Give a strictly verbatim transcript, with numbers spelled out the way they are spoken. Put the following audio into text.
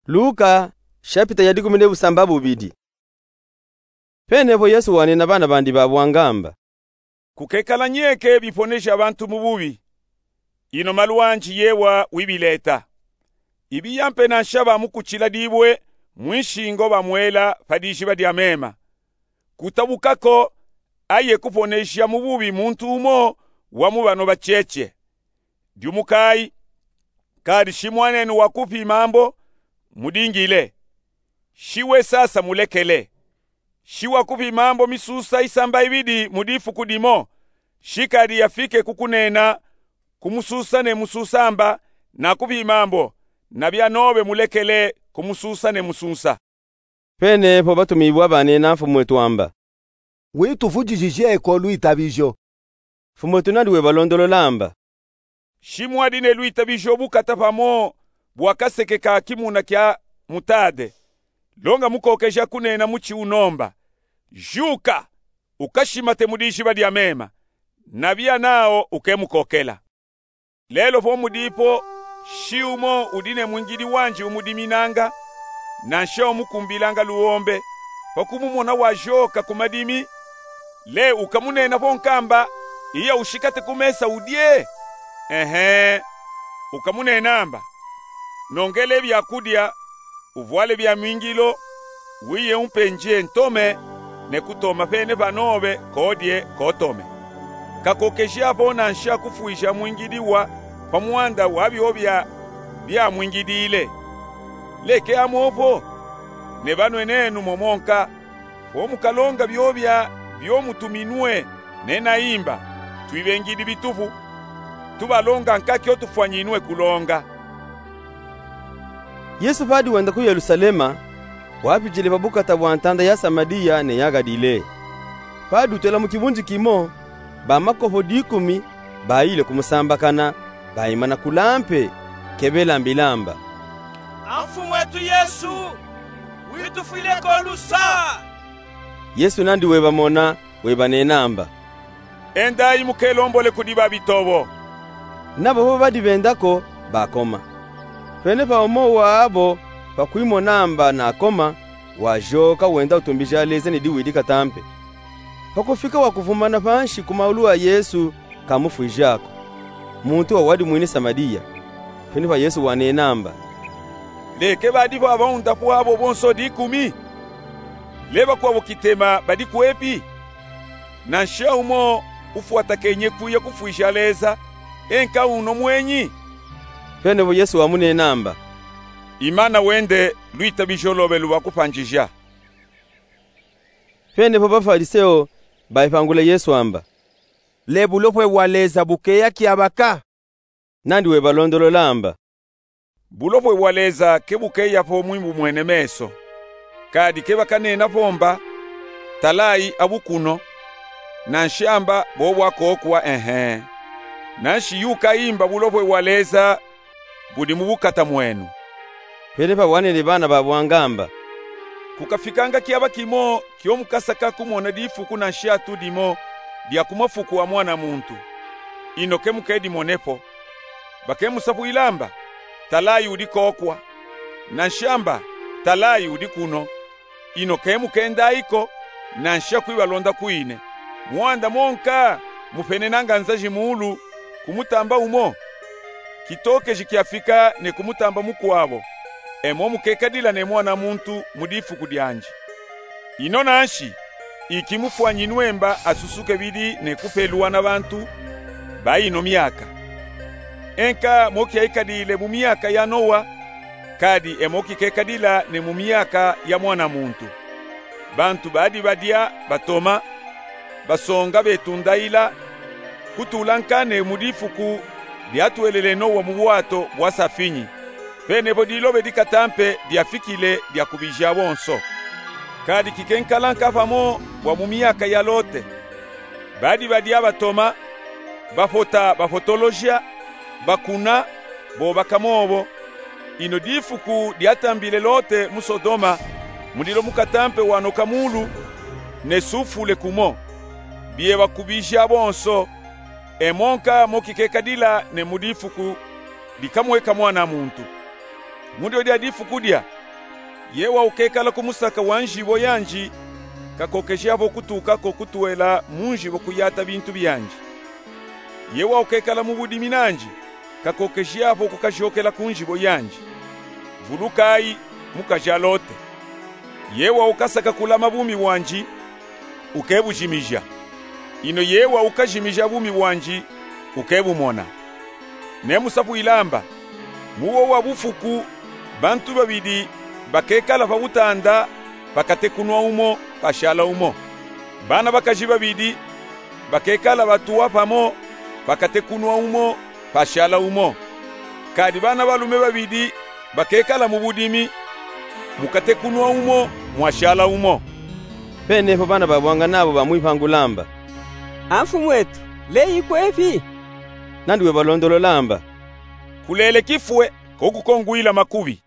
Luka, shapita ya dikumi ne busambabubidi. Pene po Yesu wanena bana bandi ba bwangamba: Kukekala nyeke biponeja bantu mu bubi. Ino malu anji yewa wibileta. Ibiyampe nansha bamukutila dibwe mwinshingo bamwela pa dijiba dia mema. Kutabuka ko aye kuponeja mu bubi muntu umo wa mu bano bacheche. Diumukayi, kadi shi mwanenu wakupima mbo, mudingile. Shi we sasa, mulekele. Shi wakupima mbo misusa isamba ibidi mu difuku dimo, shi kadi yafike ku kunena, kumususa ne mususa mba, nakupima mbo, na bia nobe mulekele kumususa ne mususa. Pene po batumibwa banena Mfumu wetu amba: Wituvudijije ko lwitabijo. Mfumu wetu nandi webalondolola amba: Shi mwadi ne lwitabijo bukata pamo bwa kaseke ka kimuna kia mutade, longa mukokeja kunena muchi uno mba: Juka, ukashimate mu dijiba dia mema, na bia nao ukemukokela. Lelo po mudipo shi umo udi ne mwingidi wanji umudiminanga, nansha umukumbilanga luombe, pa kumumona wajoka ku madimi, le ukamunena po nkamba: Iya, ushikate ku mesa udie? Ehe, ukamunena mba: Nongele bia kudia, uvwale bia mwingilo, wiye umpe nje ntome, ne kutoma pene pa nobe kodie kotome. Kakokeja po nansha kufwija mwingidi wa pa mwanda wa biobia biamwingidile. Leke amo po, nebanwenenu momo nka, po mukalonga biobia bio mutuminwe, nena imba: Twibengidi bitupu, tubalonga nka kio tufwanyinwe kulonga. Yesu padi wenda ku Yelusalema, wapijile pa bukata bwa ntanda ya Samadiya ne ya Galile. Padi utela mu kibunji kimo, ba makopo dikumi bayile kumusambakana, bayimana kula mpe, kebela mbila mba: A Mfumu wetu Yesu, witufwile ko lusa? Yesu nandi webamona, webanena mba: Endayi mukelombole kudi babitobo. Nabo po badi benda ko, bakoma. Pene pa umo wabo, pa kwimona mba nakoma, wajoka wenda utumbija leza ne diwidi katampe. Pa kufika wakuvumana panshi ku maulu a Yesu, kamufwija ko. Muntu wa wadi mwini Samadiya. Pene pa Yesu wanena mba: Leke badi po abaunda pwabo bonso dikumi? Le bakwabo kitema badi kwepi? Nansha umo ufwatakenye kwiya kufwija leza, enka uno mwenyi? Pene po Yesu wamunena mba: Imana wende, lwitabijo lobe lubakupanjija. Pene po Bafariseyo bayipangula Yesu amba: Le bulopwe bwa leza bukeya kiabaka? Nandi webalondolola amba: Bulopwe bwa leza kebukeya po mwimbu mwene meso. Kadi kebakanena po mba: Talayi abukuno, nansha mba: Bobwa kokwa, ehe. Nanshi yukayi mba bulopwe bwa leza budi mu bukata mwenu. Pene pa wanene bana ba bwangamba: Kukafikanga kiaba kimo kio mukasaka kumona difuku nansha tudimo dia ku mafuku a mwana muntu. Ino kemukedimone po. Bakemusapwila mba: Talayi udi kokwa, nansha mba: Talayi udi kuno. Ino kemukendayi ko, nansha kwibalonda kwine. Mwanda monka mupenenanga nzaji mulu ku mutamba umo, kitokeji kiafika ne ku mutamba mukwabo, e mo mukekadila ne mwana muntu mu difuku dianji. Ino nanshi, iki mufwanyinwe mba asusuke bidi ne kupelwa na bantu ba ino miaka. Enka mo kiaikadile mu miaka ya Nowa, kadi e mo kikekadila ne mu miaka ya mwana muntu. Bantu badi badia, batoma, basonga, betundaila, kutula nka ne mu difuku diatwelele Nowa mu bwato bwa safinyi. Pene po dilobe dikatampe diafikile diakubija bonso. Kadi kikenkala nka pamo bwa mu miaka ya Lote. Badi badia, batoma, bapota, bapotoloja, bakuna, boba kamobo. Ino difuku diatambile Lote mu Sodoma, mulilo mukatampe wanoka mulu ne sufule kumo. Bieba kubija bonso, e mo nka mo kikekadila ne mu difuku dikamweka mwana muntu. Mu dio dia difu kudia, ye wawukekala ku musaka wa njibo yandi, kakokejapo kutuka ko kutwela mu njibo kuyata bintu biandi. Ye wawukekala mu budimi nandi, kakokejapo kukajokela ku njibo yandi. Vulukayi, mukaja Lote. Ye wawukasaka kulama bumi bwandi, ukebujimija. Ino ye wawukajimija bumi bwandi, ukebumona. Nemusapwile amba, mu wo wa bufuku, bantu babidi bakekala pa butanda, pakatekunwa umo, pashala umo. Bana bakaji babidi bakekala batuwa pamo, pakatekunwa umo, pashala umo. Kadi bana balume babidi bakekala mu budimi, mukatekunwa umo, mwashala umo. Penepo bana babwangana abo bamwipangula amba: A Mfumu etu, leyi kwepi? Nandi webalondolola amba: Kulele kifwe, ko kukongwila makubi.